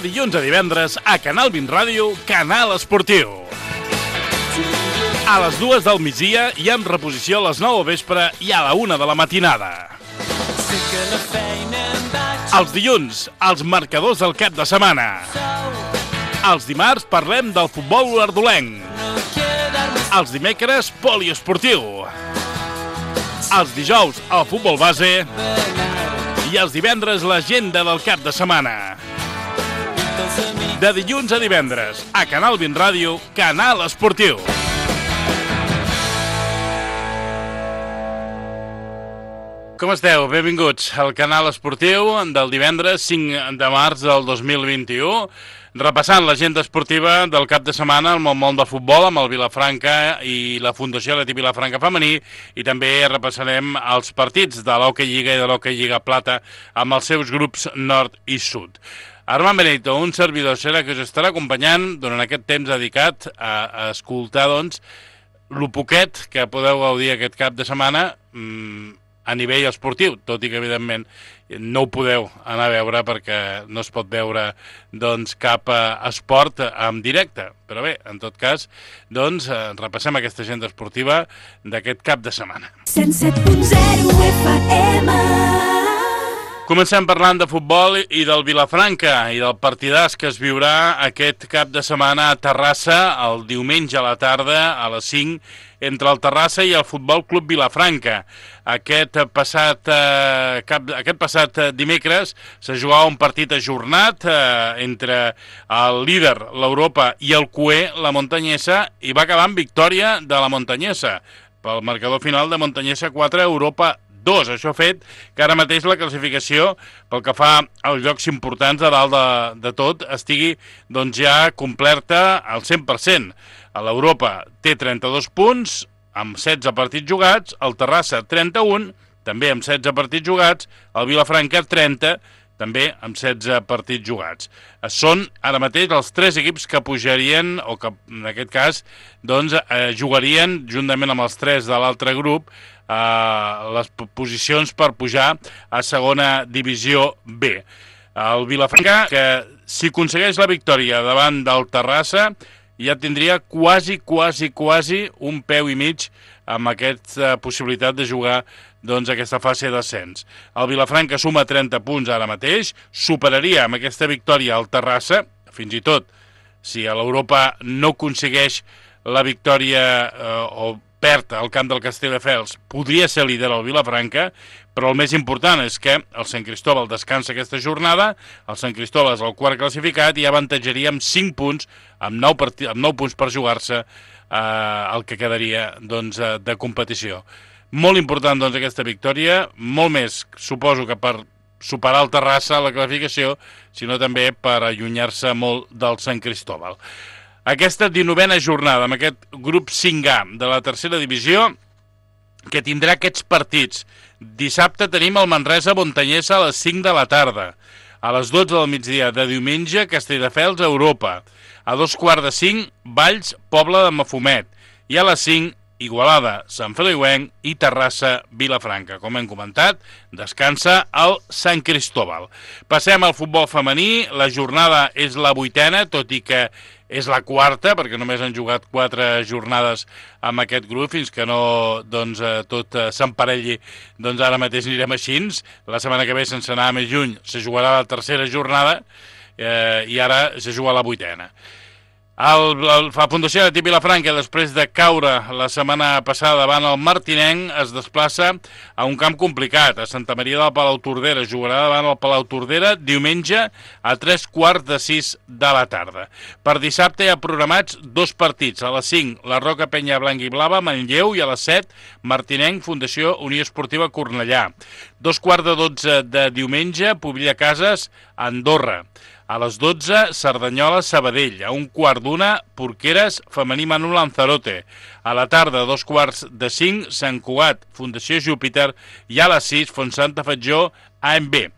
dilluns a divendres a Canal 20 Ràdio, Canal Esportiu. A les 2 del migdia i amb reposició a les 9 del vespre i a la 1 de la matinada. Els dilluns, els marcadors del cap de setmana. Els dimarts parlem del futbol ardolenc. Els dimecres, poliesportiu. Els dijous, el futbol base. I els divendres, l'agenda del cap de setmana. De dilluns a divendres, a Canal 20 Ràdio, Canal Esportiu. Com esteu? Benvinguts al Canal Esportiu del divendres 5 de març del 2021. Repassant l'agenda esportiva del cap de setmana amb el món del futbol, amb el Vilafranca i la Fundació Atlètic Vilafranca Femení, i també repassarem els partits de l'Hockey Lliga i de l'Hockey Lliga Plata amb els seus grups nord i sud. Armand Benito, un servidor, serà que us estarà acompanyant durant aquest temps dedicat a escoltar, doncs, lo poquet que podeu gaudir aquest cap de setmana a nivell esportiu, tot i que, evidentment, no ho podeu anar a veure perquè no es pot veure, doncs, cap esport en directe. Però bé, en tot cas, doncs, repassem aquesta agenda esportiva d'aquest cap de setmana. 107.0 FM. Comencem parlant de futbol i del Vilafranca i del partidàs que es viurà aquest cap de setmana a Terrassa el diumenge a la tarda a les 5 entre el Terrassa i el Futbol Club Vilafranca. Aquest passat dimecres s'ha jugat un partit ajornat entre el líder, l'Europa, i el cué, la Montanyesa, i va acabar amb victòria de la Montanyesa. Pel marcador final de Montanyesa 4, Europa 2. Això ha fet que ara mateix la classificació, pel que fa als llocs importants de dalt de tot, estigui doncs, ja complerta al 100%. A l'Europa té 32 punts, amb 16 partits jugats, el Terrassa 31, també amb 16 partits jugats, el Vilafranca 30, també amb 16 partits jugats. Són ara mateix els 3 equips que pujarien, o que en aquest cas doncs, jugarien, juntament amb els 3 de l'altre grup, les posicions per pujar a segona divisió B. El Vilafranca, que si aconsegueix la victòria davant del Terrassa, ja tindria quasi un peu i mig amb aquesta possibilitat de jugar doncs, aquesta fase d'ascens. El Vilafranca suma 30 punts ara mateix, superaria amb aquesta victòria el Terrassa, fins i tot si a l'Europa no aconsegueix la victòria o perd al camp del Castelldefels, podria ser líder el Vilafranca, però el més important és que el Sant Cristóbal descansa aquesta jornada, el Sant Cristóbal és el quart classificat i avantatjaria amb 5 punts, amb 9 punts per jugar-se el que quedaria doncs, de competició. Molt important doncs, aquesta victòria, molt més, suposo que per superar el Terrassa a la classificació, sinó també per allunyar-se molt del Sant Cristóbal. Aquesta 19a jornada amb aquest grup 5A de la tercera divisió que tindrà aquests partits. Dissabte tenim el Manresa-Montanyesa a les 5 de la tarda. A les 12 del migdia de diumenge, Castelldefels a Europa. A 2:45, Valls, Pobla de Mafumet. I a les 5, Igualada, Sant Feliuenc i Terrassa, Vilafranca. Com hem comentat, descansa el Sant Cristóbal. Passem al futbol femení. La jornada és la 8a, tot i que és la 4, perquè només han jugat 4 jornades amb aquest grup, fins que no doncs, tot s'emparelli, doncs ara mateix anirem així. La setmana que ve, sense anar més lluny, se jugarà la tercera jornada i ara se juga la 8a. La Fundació Atlètic Vilafranca, després de caure la setmana passada davant el Martinenc, es desplaça a un camp complicat, a Santa Maria del Palautordera. Jugarà davant el Palautordera diumenge a 3:45 de la tarda. Per dissabte hi ha programats 2 partits. A les 5, la Roca Penya Blanca i Blava, Manlleu, i a les 7, Martinenc, Fundació Unió Esportiva Cornellà. 2:15 de diumenge, Pobilla Cases, Andorra. A les 12, Cerdanyola, Sabadell. A 1:15, Porqueres, Femení Manu Lanzarote. A la tarda, 4:45, Sant Cugat, Fundació Júpiter. I a les 6, Fontsanta Fatjó, AMB.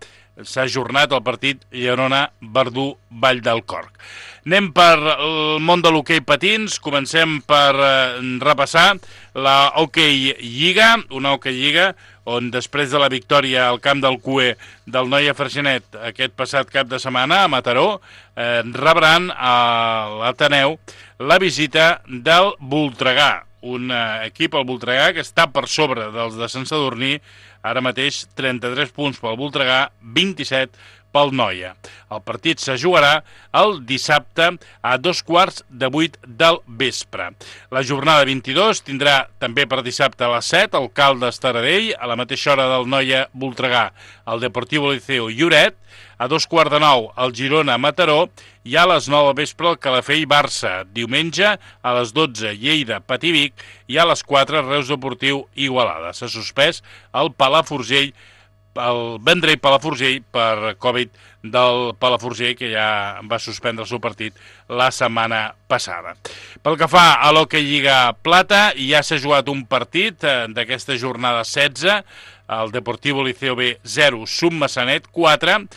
S'ha ajornat el partit Llerona-Verdú-Vall del Corc. Anem per el món de l'hoquei patins, comencem per repassar la Hockey Lliga, una Hockey Lliga on després de la victòria al camp del CUE del Noia Freixenet aquest passat cap de setmana a Mataró, rebran a l'Ateneu la visita del Voltregà, un equip, el Voltregà, que està per sobre dels de Sant Sadurní, ara mateix 33 punts pel Voltregà, 27 pel Noia. El partit se jugarà el dissabte a 7:15 del vespre. La jornada 22 tindrà també per dissabte a les 7 el Caldes Taradell, a la mateixa hora del Noia Voltregà, el Deportivo Liceo Lloret, a 8:45 el Girona Mataró i a les 9 del vespre el Calafell Barça. Diumenge a les 12 Lleida Pativic i a les 4 Reus Deportiu Igualada. S'ha suspès el Vendrell Palafrugell per Covid del Palafrugell, que ja va suspendre el seu partit la setmana passada. Pel que fa a l'Hockey Lliga Plata, ja s'ha jugat un partit d'aquesta jornada 16, el Deportivo Liceo B 0, Submassanet 4.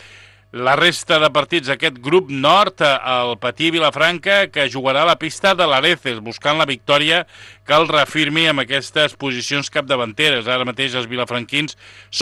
La resta de partits d'aquest grup nord, el Patí Vilafranca, que jugarà a la pista de l'Areces, buscant la victòria que el reafirmi amb aquestes posicions capdavanteres. Ara mateix els vilafranquins